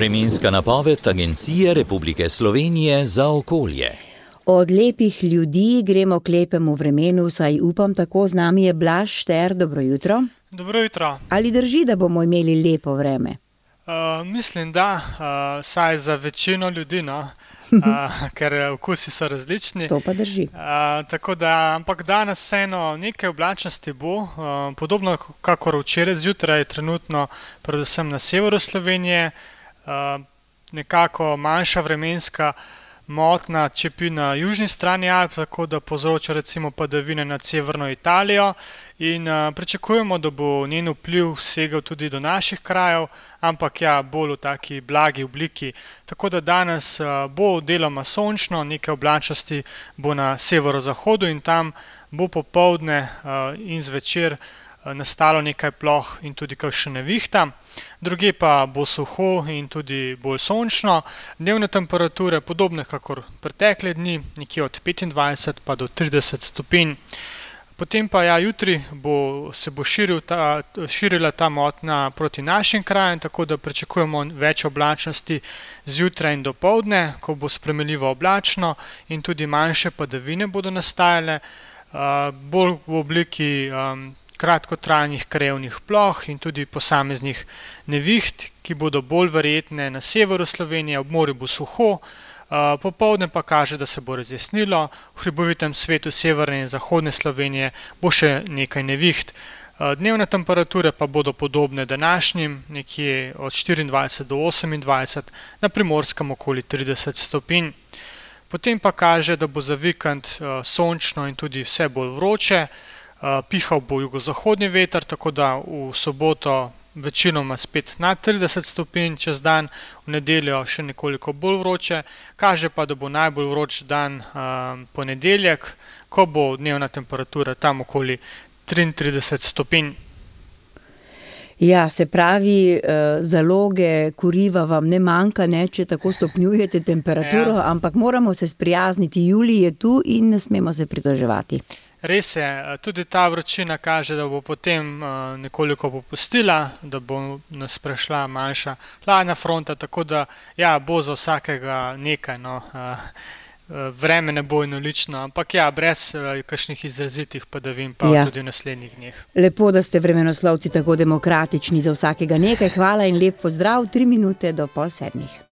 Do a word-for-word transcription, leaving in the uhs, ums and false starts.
Vremenska napoved Agencije Republike Slovenije za okolje. Od lepih ljudi gremo k lepemu vremenu, saj upam tako, z nami je Blaž Šter, dobro jutro. Dobro jutro. Ali drži, da bomo imeli lepo vreme? Uh, mislim, da, uh, saj za večino ljudi, no, uh, ker okusi so različni. To pa drži. Uh, tako da, ampak danes vseeno nekaj oblačnosti bo, uh, podobno kakor včeraj zjutraj, trenutno predvsem na severu Slovenije, uh, nekako manjša vremenska motna čepi na južni strani Alp, tako da povzroča recimo padavine nad severno Italijo in uh, pričakujemo, da bo njen vpliv segel tudi do naših krajev, ampak ja, bolj v taki blagi obliki. Tako da danes uh, bo deloma sončno, nekaj oblačnosti bo na severozahodu in tam bo popoldne uh, in zvečer nastalo nekaj ploh in tudi kakšna nevihta. Druge pa bo suho in tudi bolj sončno. Dnevne temperature podobne kakor pretekle dni, nekje od petindvajset pa do trideset stopinj. Potem pa ja, jutri bo, se bo širil ta, širila ta motnja proti našim krajem, tako da pričakujemo več oblačnosti zjutraj in dopoldne, ko bo spremenljivo oblačno in tudi manjše padavine bodo nastajale, uh, bolj v obliki um, kratkotrajnih krajevnih ploh in tudi posameznih neviht, ki bodo bolj verjetne na severu Slovenije, ob morju bo suho, popoldne pa kaže, da se bo razjasnilo, v hribovitem svetu severne in zahodne Slovenije bo še nekaj neviht. Dnevne temperature pa bodo podobne današnjim, nekje od štiriindvajset do osemindvajset, na Primorskem okoli trideset stopinj. Potem pa kaže, da bo za vikend sončno in tudi vse bolj vroče. Pihal bo jugozahodni veter, tako da v soboto večinoma spet nad trideset stopinj čez dan, v nedeljo še nekoliko bolj vroče, kaže pa, da bo najbolj vroč dan uh, ponedeljek, ko bo dnevna temperatura tam okoli triintrideset stopinj. Ja, se pravi, zaloge kuriva vam ne manjka, ne, če tako stopnjujete temperaturo, ja. Ampak moramo se sprijazniti, julij je tu in ne smemo se pritoževati. Res je, tudi ta vročina kaže, da bo potem nekoliko popustila, da bo nas prešla manjša hladna fronta, tako da ja, bo za vsakega nekaj, no. Vreme ne bo enolično, ampak ja, brez kakšnih izrazitih padavin pa ja. Tudi v naslednjih dneh. Lepo, da ste vremenoslovci tako demokratični, za vsakega nekaj. Hvala in lep pozdrav, tri minute do pol sedmih.